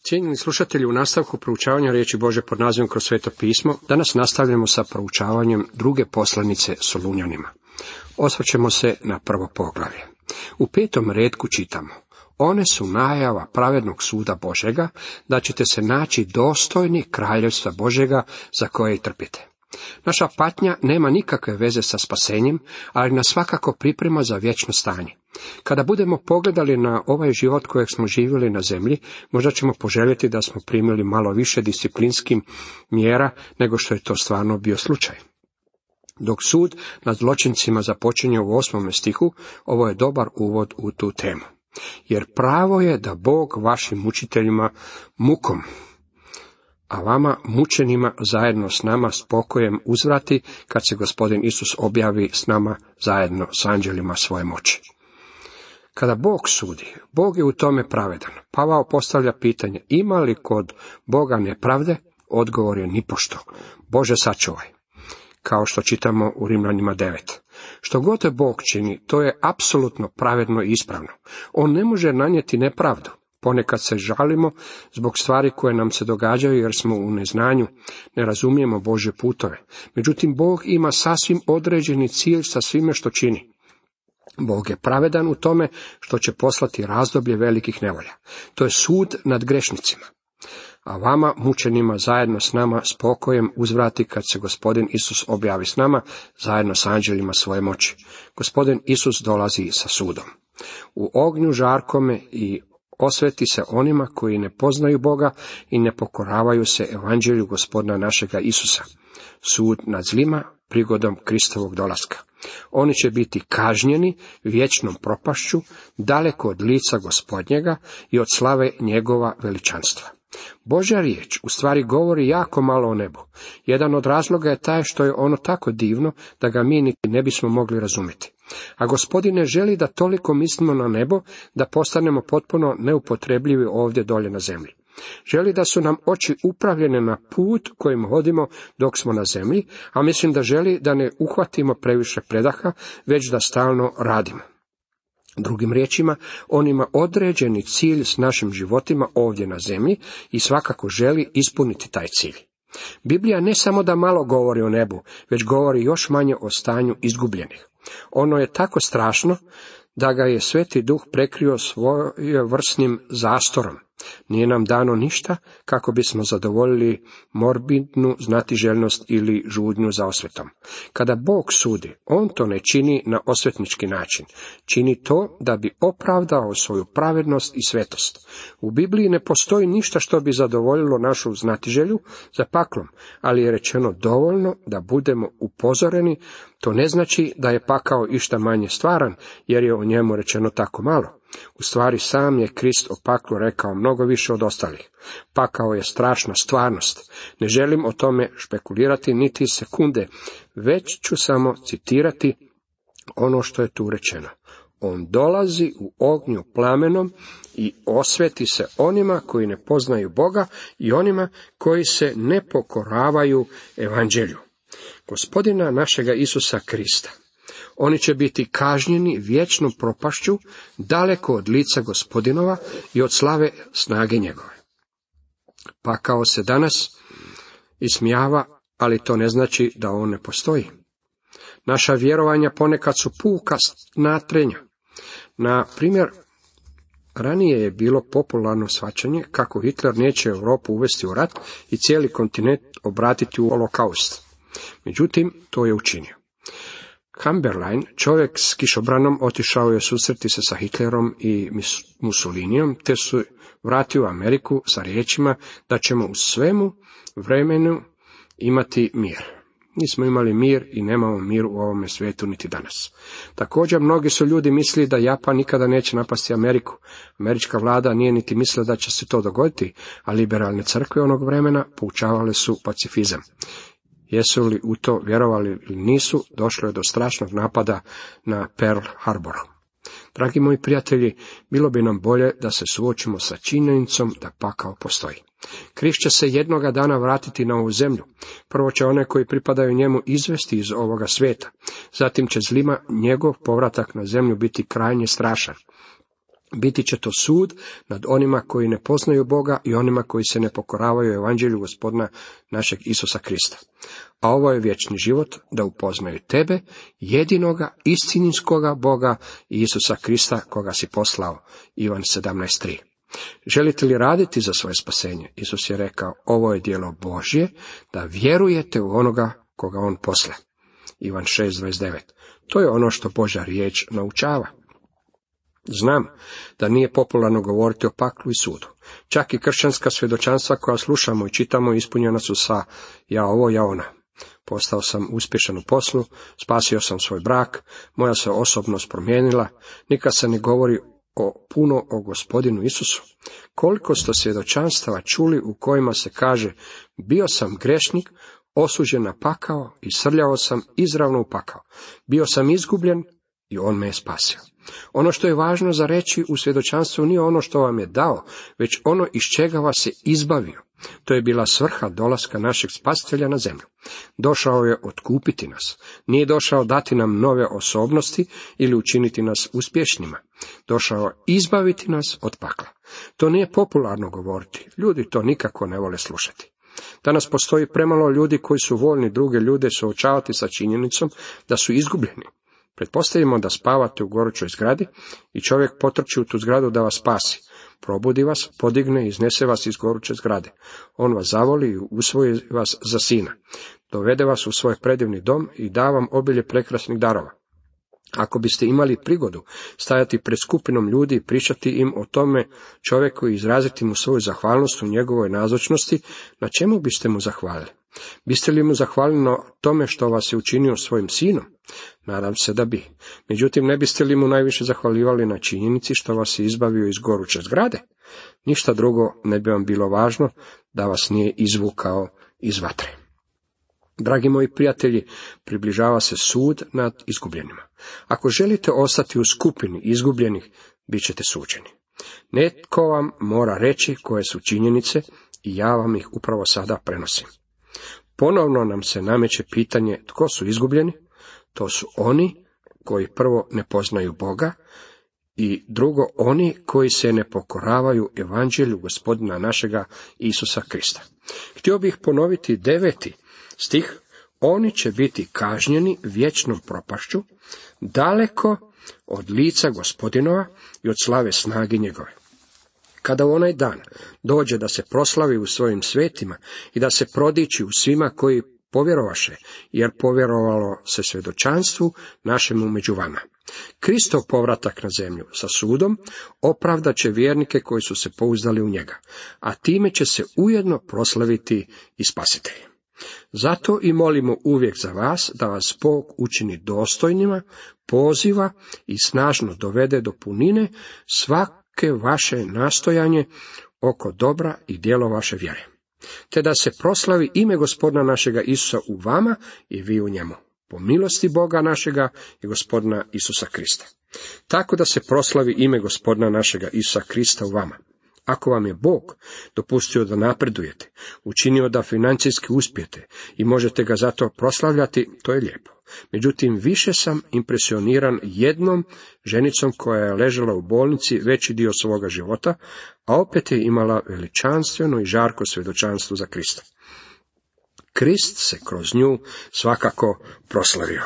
Cijenjeni slušatelji, u nastavku proučavanja riječi Božje pod nazivom Kroz sveto pismo, danas nastavljamo sa proučavanjem druge poslanice Solunjanima. Osvrćemo se na prvo poglavlje. U 5. retku čitamo: one su najava pravednog suda Božjega, da ćete se naći dostojni kraljevstva Božjega za koje i trpite. Naša patnja nema nikakve veze sa spasenjem, ali nas svakako priprema za vječno stanje. Kada budemo pogledali na ovaj život kojeg smo živjeli na zemlji, možda ćemo poželjeti da smo primili malo više disciplinskih mjera nego što je to stvarno bio slučaj. Dok sud nad zločincima započinje u 8. stihu, ovo je dobar uvod u tu temu. Jer pravo je da Bog vašim mučiteljima mukom, a vama mučenima zajedno s nama s pokojem uzvrati, kad se Gospodin Isus objavi s nama zajedno s anđelima svoje moći. Kada Bog sudi, Bog je u tome pravedan. Pavao postavlja pitanje: ima li kod Boga nepravde? Odgovor je nipošto. Bože sačuvaj. Kao što čitamo u Rimljanima 9. Što god je Bog čini, to je apsolutno pravedno i ispravno. On ne može nanijeti nepravdu. Ponekad se žalimo zbog stvari koje nam se događaju jer smo u neznanju, ne razumijemo Božje putove. Međutim, Bog ima sasvim određeni cilj sa svime što čini. Bog je pravedan u tome što će poslati razdoblje velikih nevolja. To je sud nad grešnicima. A vama, mučenima, zajedno s nama s pokojem uzvrati, kad se Gospodin Isus objavi s nama zajedno s anđelima svoje moći. Gospodin Isus dolazi sa sudom. U ognju žarkome i osveti se onima koji ne poznaju Boga i ne pokoravaju se evanđelju Gospodina našega Isusa. Sud nad zlima prigodom Kristovog dolaska. Oni će biti kažnjeni vječnom propašću, daleko od lica Gospodnjega i od slave njegova veličanstva. Božja riječ u stvari govori jako malo o nebu. Jedan od razloga je taj što je ono tako divno da ga mi niti ne bismo mogli razumjeti. A Gospodin ne želi da toliko mislimo na nebo da postanemo potpuno neupotrebljivi ovdje dolje na zemlji. Želi da su nam oči upravljene na put kojim hodimo dok smo na zemlji, a mislim da želi da ne uhvatimo previše predaha, već da stalno radimo. Drugim riječima, on ima određeni cilj s našim životima ovdje na zemlji i svakako želi ispuniti taj cilj. Biblija ne samo da malo govori o nebu, već govori još manje o stanju izgubljenih. Ono je tako strašno da ga je Sveti Duh prekrio svojevrsnim zastorom. Nije nam dano ništa kako bismo zadovoljili morbidnu znatiželjnost ili žudnju za osvetom. Kada Bog sudi, on to ne čini na osvetnički način. Čini to da bi opravdao svoju pravednost i svetost. U Bibliji ne postoji ništa što bi zadovoljilo našu znatiželju za paklom, ali je rečeno dovoljno da budemo upozoreni. To ne znači da je pakao išta manje stvaran, jer je o njemu rečeno tako malo. U stvari sam je Krist o paklu rekao mnogo više od ostalih. Pakao je strašna stvarnost. Ne želim o tome špekulirati niti sekunde, već ću samo citirati ono što je tu rečeno. On dolazi u ognju plamenom i osveti se onima koji ne poznaju Boga i onima koji se ne pokoravaju evanđelju Gospodina našega Isusa Krista. Oni će biti kažnjeni vječnom propašću, daleko od lica Gospodinova i od slave snage njegove. Pakao se danas ismijava, ali to ne znači da on ne postoji. Naša vjerovanja ponekad su puka natrenja. Na primjer, ranije je bilo popularno shvaćanje kako Hitler neće Europu uvesti u rat i cijeli kontinent obratiti u holokaust. Međutim, to je učinio. Chamberlain, čovjek s kišobranom, otišao je susreti se sa Hitlerom i Mussolinijom, te su vratio u Ameriku sa riječima da ćemo u svemu vremenu imati mir. Nismo imali mir i nemamo mir u ovome svijetu niti danas. Također, mnogi su ljudi mislili da Japan nikada neće napasti Ameriku. Američka vlada nije niti mislila da će se to dogoditi, a liberalne crkve onog vremena poučavale su pacifizam. Jesu li u to vjerovali ili nisu, došlo je do strašnog napada na Pearl Harbor. Dragi moji prijatelji, bilo bi nam bolje da se suočimo sa činjenicom da pakao postoji. Krist će se jednoga dana vratiti na ovu zemlju. Prvo će one koji pripadaju njemu izvesti iz ovoga svijeta. Zatim će zlima njegov povratak na zemlju biti krajnje strašan. Biti će to sud nad onima koji ne poznaju Boga i onima koji se ne pokoravaju evanđelju Gospodina našeg Isusa Krista. A ovo je vječni život, da upoznaju tebe, jedinoga, istinskoga Boga i Isusa Krista, koga si poslao. Ivan 17:3. Želite li raditi za svoje spasenje? Isus je rekao, ovo je djelo Božje, da vjerujete u onoga koga on posle. Ivan 6:29. To je ono što Božja riječ naučava. Znam da nije popularno govoriti o paklu i sudu. Čak i kršćanska svjedočanstva koja slušamo i čitamo ispunjena su sa ja ovo, ja ona. Postao sam uspješan u poslu, spasio sam svoj brak, moja se osobnost promijenila, nikad se ne govori puno o Gospodinu Isusu. Koliko ste svjedočanstava čuli u kojima se kaže, bio sam grešnik, osuđen na pakao i srljao sam izravno u pakao. Bio sam izgubljen i on me je spasio. Ono što je važno za reći u svjedočanstvu nije ono što vam je dao, već ono iz čega vas je izbavio. To je bila svrha dolaska našeg spasitelja na zemlju. Došao je otkupiti nas. Nije došao dati nam nove osobnosti ili učiniti nas uspješnima. Došao izbaviti nas od pakla. To nije popularno govoriti. Ljudi to nikako ne vole slušati. Danas postoji premalo ljudi koji su voljni druge ljude suočavati sa činjenicom da su izgubljeni. Pretpostavimo da spavate u gorućoj zgradi i čovjek potrči u tu zgradu da vas spasi. Probudi vas, podigne i iznese vas iz goruće zgrade. On vas zavoli i usvoji vas za sina. Dovede vas u svoj predivni dom i da vam obilje prekrasnih darova. Ako biste imali prigodu stajati pred skupinom ljudi i pričati im o tome čovjeku i izraziti mu svoju zahvalnost u njegovoj nazočnosti, na čemu biste mu zahvalili? Biste li mu zahvalili na tome što vas je učinio svojim sinom? Nadam se da bi. Međutim, ne biste li mu najviše zahvaljivali na činjenici što vas je izbavio iz goruće zgrade? Ništa drugo ne bi vam bilo važno da vas nije izvukao iz vatre. Dragi moji prijatelji, približava se sud nad izgubljenima. Ako želite ostati u skupini izgubljenih, bit ćete suđeni. Netko vam mora reći koje su činjenice i ja vam ih upravo sada prenosim. Ponovno nam se nameće pitanje tko su izgubljeni. To su oni koji prvo ne poznaju Boga i drugo oni koji se ne pokoravaju evanđelju Gospodina našega Isusa Krista. Htio bih ponoviti 9. stih. Oni će biti kažnjeni vječnom propašću, daleko od lica Gospodinova i od slave snage njegove. Kada u onaj dan dođe da se proslavi u svojim svetima i da se prodiči u svima koji povjerovaše, jer povjerovalo se svjedočanstvu našemu među vama. Kristov povratak na zemlju sa sudom opravdat će vjernike koji su se pouzdali u njega, a time će se ujedno proslaviti i spasitelj. Zato i molimo uvijek za vas da vas Bog učini dostojnima poziva i snažno dovede do punine svake vaše nastojanje oko dobra i djelo vaše vjere, te da se proslavi ime Gospodina našega Isusa u vama i vi u njemu, po milosti Boga našega i Gospodina Isusa Krista. Tako da se proslavi ime Gospodina našega Isusa Krista u vama. Ako vam je Bog dopustio da napredujete, učinio da financijski uspijete i možete ga zato proslavljati, to je lijepo. Međutim, više sam impresioniran jednom ženicom koja je ležala u bolnici veći dio svoga života, a opet je imala veličanstveno i žarko svjedočanstvo za Krista. Krist se kroz nju svakako proslavio.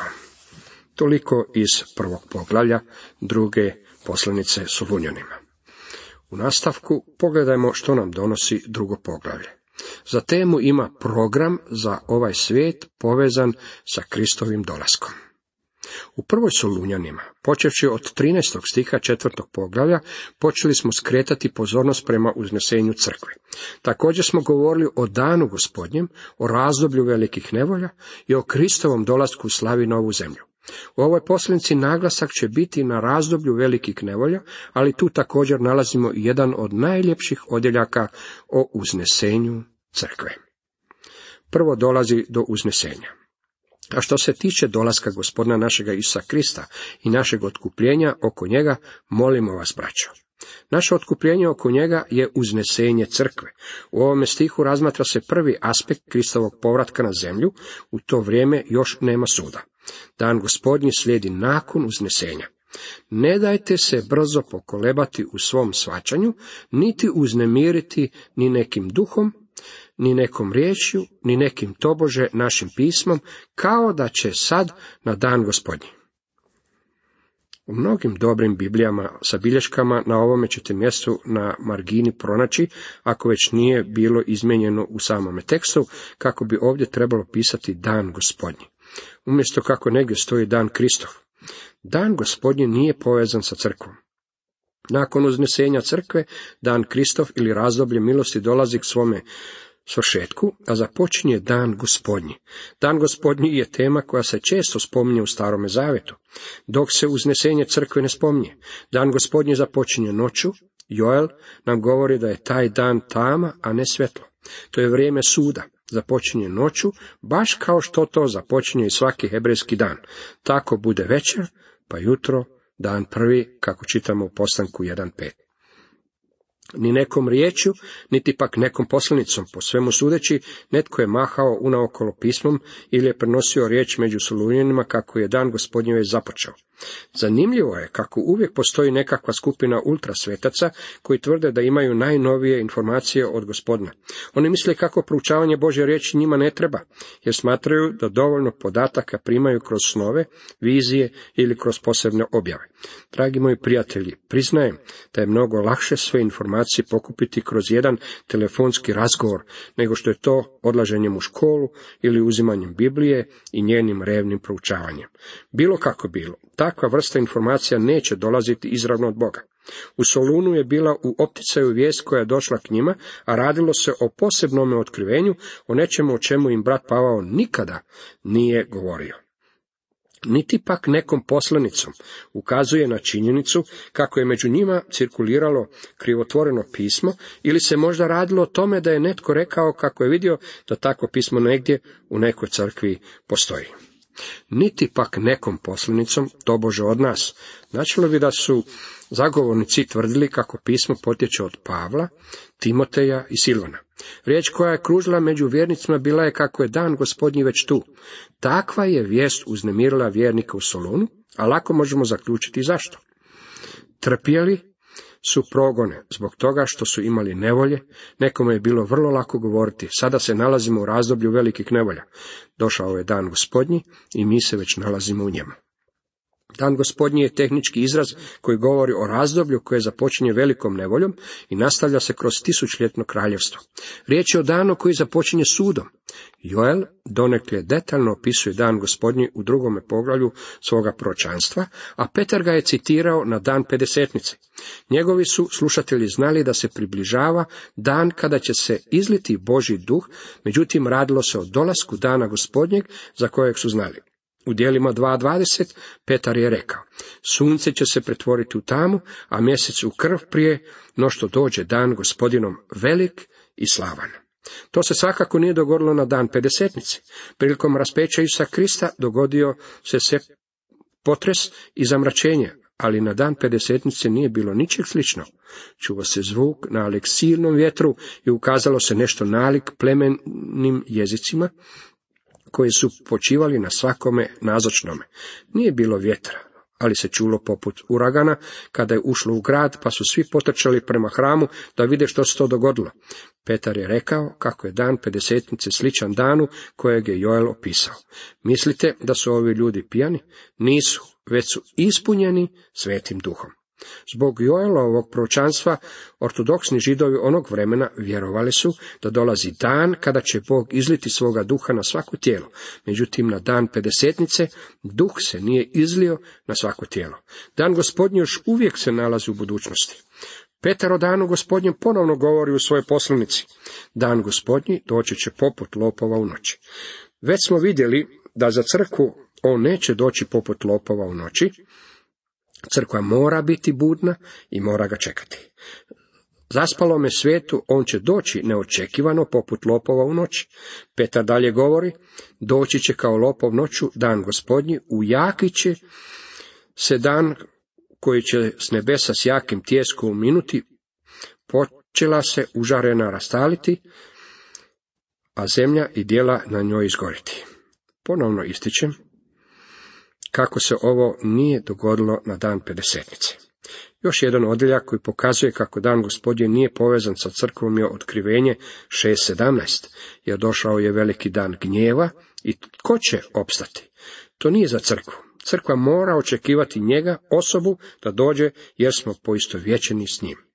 Toliko iz 1. poglavlja 2. poslanice Solunjanima. U nastavku pogledajmo što nam donosi 2. poglavlje. Za temu ima program za ovaj svijet povezan sa Kristovim dolaskom. U 1. Solunjanima, počevši od 13. stiha 4. poglavlja, počeli smo skretati pozornost prema uznesenju crkve. Također smo govorili o danu Gospodnjem, o razdoblju velikih nevolja i o Kristovom dolasku u slavi na ovu zemlju. U ovoj poslanici naglasak će biti na razdoblju velikih nevolja, ali tu također nalazimo i jedan od najljepših odjeljaka o uznesenju crkve. Prvo dolazi do uznesenja. A što se tiče dolaska Gospodina našega Isusa Krista i našeg otkupljenja oko njega, molimo vas, braćo. Naše otkupljenje oko njega je uznesenje crkve. U ovome stihu razmatra se prvi aspekt Kristovog povratka na zemlju, u to vrijeme još nema suda. Dan Gospodnji slijedi nakon uznesenja. Ne dajte se brzo pokolebati u svom shvaćanju, niti uznemiriti ni nekim duhom, ni nekom riječju, ni nekim tobože našim pismom, kao da će sad na dan Gospodnji. U mnogim dobrim Biblijama sa bilješkama na ovome ćete mjestu na margini pronaći, ako već nije bilo izmijenjeno u samome tekstu, kako bi ovdje trebalo pisati dan Gospodnji. Umjesto kako negdje stoji dan Kristov. Dan Gospodnji nije povezan sa crkvom. Nakon uznesenja crkve, dan Kristov ili razdoblje milosti dolazi k svome svršetku, a započinje dan Gospodnji. Dan Gospodnji je tema koja se često spominje u Starome Zavetu, dok se uznesenje crkve ne spominje. Dan Gospodnji započinje noću. Joel nam govori da je taj dan tama, a ne svjetlo. To je vrijeme suda. Započinje noću, baš kao što to započinje i svaki hebrejski dan. Tako bude večer, pa jutro, dan prvi, kako čitamo u Postanku 1.5. Ni nekom riječju, niti pak nekom poslanicom, po svemu sudeći, netko je mahao unaokolo pismom ili je prenosio riječ među Solunjanima kako je dan Gospodnji već započeo. Zanimljivo je kako uvijek postoji nekakva skupina ultrasvetaca koji tvrde da imaju najnovije informacije od Gospodina. Oni misle kako proučavanje Božje riječi njima ne treba, jer smatraju da dovoljno podataka primaju kroz snove, vizije ili kroz posebne objave. Dragi moji prijatelji, priznajem da je mnogo lakše sve informacije pokupiti kroz jedan telefonski razgovor, nego što je to odlaženjem u školu ili uzimanjem Biblije i njenim revnim proučavanjem. Bilo kako bilo, takva vrsta informacija neće dolaziti izravno od Boga. U Solunu je bila u opticaju vijest koja je došla k njima, a radilo se o posebnome otkrivenju, o nečemu o čemu im brat Pavao nikada nije govorio. Niti pak nekom poslanicom ukazuje na činjenicu kako je među njima cirkuliralo krivotvoreno pismo, ili se možda radilo o tome da je netko rekao kako je vidio da takvo pismo negdje u nekoj crkvi postoji. Niti pak nekom poslanicom, tobože od nas. Značilo bi da su zagovornici tvrdili kako pismo potječe od Pavla, Timoteja i Silvana. Riječ koja je kružila među vjernicima bila je kako je dan Gospodnji već tu. Takva je vijest uznemirila vjernike u Solunu, a lako možemo zaključiti zašto. Trpjeli su progone zbog toga što su imali nevolje, nekome je bilo vrlo lako govoriti, sada se nalazimo u razdoblju velikih nevolja. Došao je dan Gospodnji i mi se već nalazimo u njemu. Dan Gospodnji je tehnički izraz koji govori o razdoblju koje započinje velikom nevoljom i nastavlja se kroz 1000-ljetno kraljevstvo. Riječ je o danu koji započinje sudom. Joel donekle detaljno opisuje dan Gospodnji u 2. poglavlju svoga proročanstva, a Petar ga je citirao na dan Pedesetnice. Njegovi su slušatelji znali da se približava dan kada će se izliti Božji duh, međutim radilo se o dolasku dana Gospodnjeg za kojeg su znali. U djelima 2.20 Petar je rekao, sunce će se pretvoriti u tamu, a mjesec u krv prije no što dođe dan Gospodinom velik i slavan. To se svakako nije dogodilo na dan Pedesetnice. Prilikom raspeća Isusa Krista dogodio se potres i zamračenje, ali na dan Pedesetnice nije bilo ničeg slično. Čuo se zvuk nalik silnom vjetru i ukazalo se nešto nalik plemenim jezicima, koji su počivali na svakome nazočnome. Nije bilo vjetra, ali se čulo poput uragana kada je ušlo u grad, pa su svi potrčali prema hramu da vide što se to dogodilo. Petar je rekao kako je dan Pedesetnice sličan danu kojeg je Joel opisao. Mislite da su ovi ljudi pijani? Nisu, već su ispunjeni Svetim Duhom. Zbog Joelovog proročanstva ortodoksni židovi onog vremena vjerovali su da dolazi dan kada će Bog izliti svoga duha na svako tijelo. Međutim, na dan Pedesetnice duh se nije izlio na svako tijelo. Dan Gospodnji još uvijek se nalazi u budućnosti. Petar o danu Gospodnjem ponovno govori u svojoj poslanici. Dan Gospodnji doći će poput lopova u noći. Već smo vidjeli da za crkvu on neće doći poput lopova u noći. Crkva mora biti budna i mora ga čekati. Zaspalome svijetu on će doći neočekivano poput lopova u noći. Petar dalje govori, doći će kao lopov noću dan Gospodnji, ujaki će se dan koji će s nebesa s jakim tjeskom minuti, počela se užarena rastaliti, a zemlja i djela na njoj izgoriti. Ponovno ističem, kako se ovo nije dogodilo na dan Pedesetnice. Još jedan odjeljak koji pokazuje kako dan Gospodnji nije povezan sa crkvom je Otkrivenje 6.17, jer došao je veliki dan gnjeva i tko će opstati? To nije za crkvu. Crkva mora očekivati njega, osobu, da dođe jer smo poistovjećeni s njim.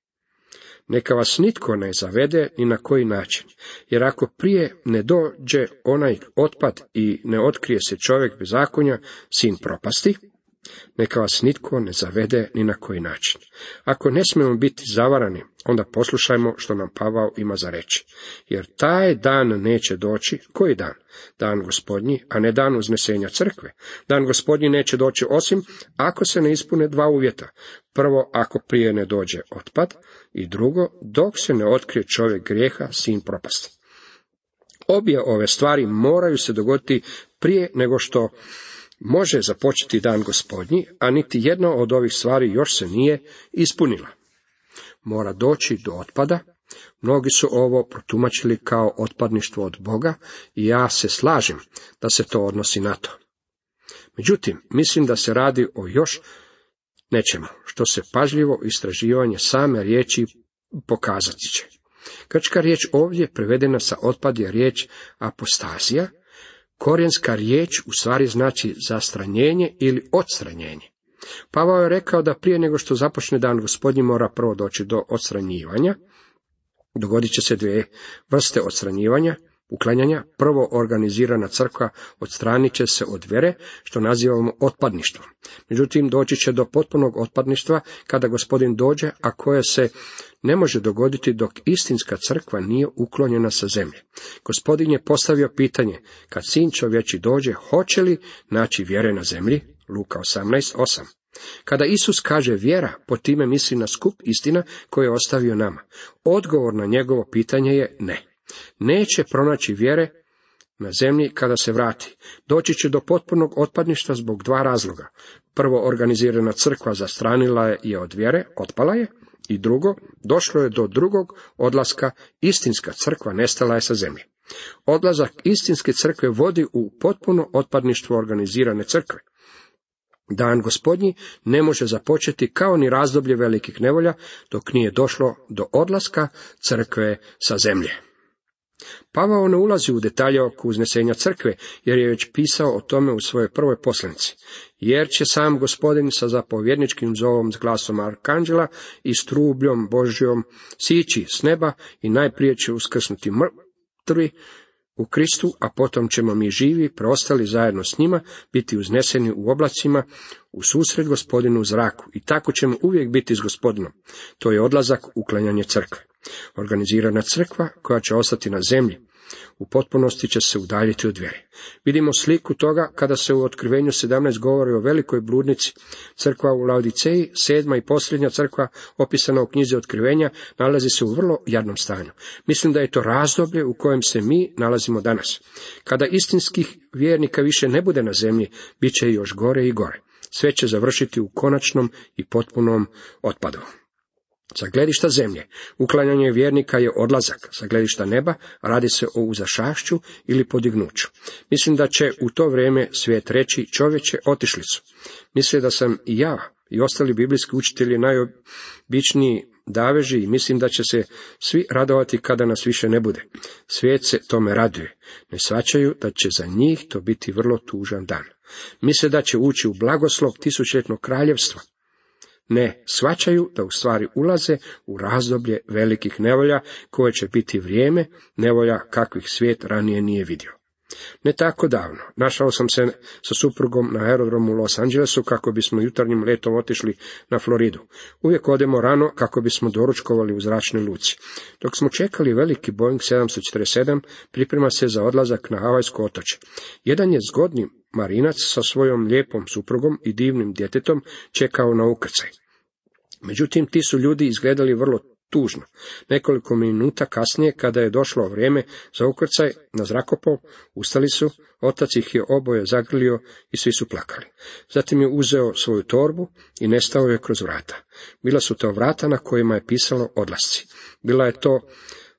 Neka vas nitko ne zavede ni na koji način, jer ako prije ne dođe onaj otpad i ne otkrije se čovjek bezakonja, sin propasti, neka vas nitko ne zavede ni na koji način. Ako ne smijemo biti zavarani, onda poslušajmo što nam Pavao ima za reći. Jer taj dan neće doći. Koji dan? Dan Gospodnji, a ne dan uznesenja crkve. Dan Gospodnji neće doći osim ako se ne ispune dva uvjeta. Prvo, ako prije ne dođe otpad, i drugo, dok se ne otkrije čovjek grijeha, sin propasti. Obje ove stvari moraju se dogoditi prije nego što može započeti dan Gospodnji, a niti jedna od ovih stvari još se nije ispunila. Mora doći do otpada. Mnogi su ovo protumačili kao otpadništvo od Boga i ja se slažem da se to odnosi na to. Međutim, mislim da se radi o još nečemu, što se pažljivo istraživanje same riječi pokazati će. Grčka riječ ovdje prevedena sa otpad je riječ apostazija. Korijenska riječ u stvari znači zastranjenje ili odstranjenje. Pavao je rekao da prije nego što započne dan Gospodnji mora prvo doći do odstranjivanja. Dogodit će se dvije vrste odstranjivanja, uklanjanja. Prvo, organizirana crkva odstranit će se od vjere, što nazivamo otpadništvom. Međutim, doći će do potpunog otpadništva kada Gospodin dođe, a koje se ne može dogoditi dok istinska crkva nije uklonjena sa zemlje. Gospodin je postavio pitanje, kad sin čovječi dođe, hoće li naći vjere na zemlji? Luka 18:8. Kada Isus kaže vjera, po time misli na skup istina koje je ostavio nama. Odgovor na njegovo pitanje je ne. Neće pronaći vjere na zemlji kada se vrati. Doći će do potpunog otpadništva zbog dva razloga. Prvo, organizirana crkva zastranila je od vjere, otpala je. I drugo, došlo je do drugog odlaska, istinska crkva nestala je sa zemlje. Odlazak istinske crkve vodi u potpuno otpadništvo organizirane crkve. Dan Gospodnji ne može započeti kao ni razdoblje velikih nevolja dok nije došlo do odlaska crkve sa zemlje. Pavao ne ulazi u detalje oko uznesenja crkve, jer je već pisao o tome u svojoj prvoj poslanici. Jer će sam Gospodin sa zapovjedničkim zovom s glasom arkanđela i s trubljom Božjom sići s neba i najprije će uskrsnuti mrtvi u Kristu, a potom ćemo mi živi, preostali zajedno s njima, biti uzneseni u oblacima u susret Gospodinu u zraku. I tako ćemo uvijek biti s Gospodinom. To je odlazak, uklanjanje crkve. Organizirana crkva koja će ostati na zemlji u potpunosti će se udaljiti od vjere. Vidimo sliku toga kada se u Otkrivenju 17 govori o velikoj bludnici. Crkva u Laodiceji, 7. i posljednja crkva opisana u knjizi Otkrivenja, nalazi se u vrlo jadnom stanju. Mislim da je to razdoblje u kojem se mi nalazimo danas. Kada istinskih vjernika više ne bude na zemlji, bit će još gore i gore. Sve će završiti u konačnom i potpunom otpadu. Sa gledišta zemlje, uklanjanje vjernika je odlazak, sa gledišta neba radi se o uzašašću ili podignuću. Mislim da će u to vrijeme svijet reći, čovječe, otišli su. Mislim da sam i ja i ostali biblijski učitelji najobičniji daveži i mislim da će se svi radovati kada nas više ne bude. Svijet se tome raduje. Ne shvaćaju da će za njih to biti vrlo tužan dan. Misle da će ući u blagoslov tisućljetnog kraljevstva. Ne shvaćaju da u stvari ulaze u razdoblje velikih nevolja koje će biti vrijeme nevolja kakvih svijet ranije nije vidio. Ne tako davno našao sam se sa suprugom na aerodromu u Los Angelesu kako bismo jutarnjim letom otišli na Floridu. Uvijek odemo rano kako bismo doručkovali u zračnoj luci. Dok smo čekali veliki Boeing 747, priprema se za odlazak na Havajsko otočje. Jedan je zgodni marinac sa svojom lijepom suprugom i divnim djetetom čekao na ukrcaj. Međutim, ti su ljudi izgledali vrlo tužno. Nekoliko minuta kasnije, kada je došlo vrijeme za ukrcaj na zrakoplov, ustali su, otac ih je oboje zagrlio i svi su plakali. Zatim je uzeo svoju torbu i nestao je kroz vrata. Bila su to vrata na kojima je pisalo odlasci. Bila je to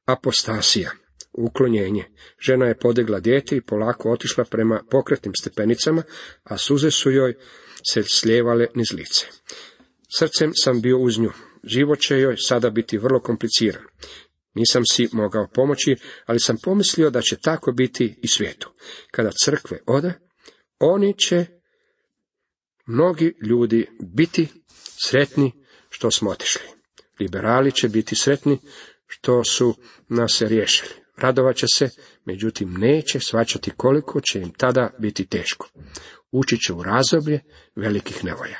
apostasija. uklonjenje. Žena je podigla dijete i polako otišla prema pokretnim stepenicama, a suze su joj se slijevale niz lice. Srcem sam bio uz nju. Život će joj sada biti vrlo kompliciran. Nisam si mogao pomoći, ali sam pomislio da će tako biti i svijetu. Kada crkve ode, oni će, mnogi ljudi, biti sretni što smo otišli. Liberali će biti sretni što su nas riješili. Radovat će se, međutim neće shvaćati koliko će im tada biti teško. Ući će u razdoblje velikih nevolja.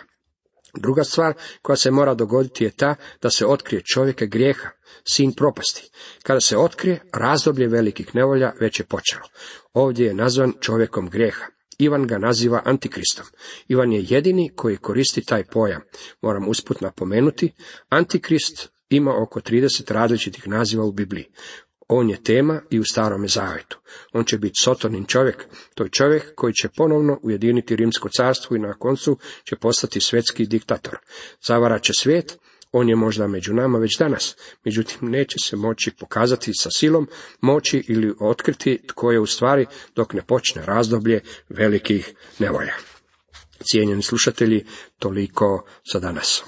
Druga stvar koja se mora dogoditi je ta da se otkrije čovjeka grijeha, sin propasti. Kada se otkrije, razdoblje velikih nevolja već je počelo. Ovdje je nazvan čovjekom grijeha. Ivan ga naziva antikristom. Ivan je jedini koji koristi taj pojam. Moram usput napomenuti, antikrist ima oko 30 različitih naziva u Bibliji. On je tema i u Starome Zavetu. On će biti Sotonin čovjek. To je čovjek koji će ponovno ujediniti Rimsko carstvo i na koncu će postati svjetski diktator. Zavarat će svijet. On je možda među nama već danas, međutim neće se moći pokazati sa silom moći ili otkriti tko je u stvari dok ne počne razdoblje velikih nevolja. Cijenjeni slušatelji, toliko za danas.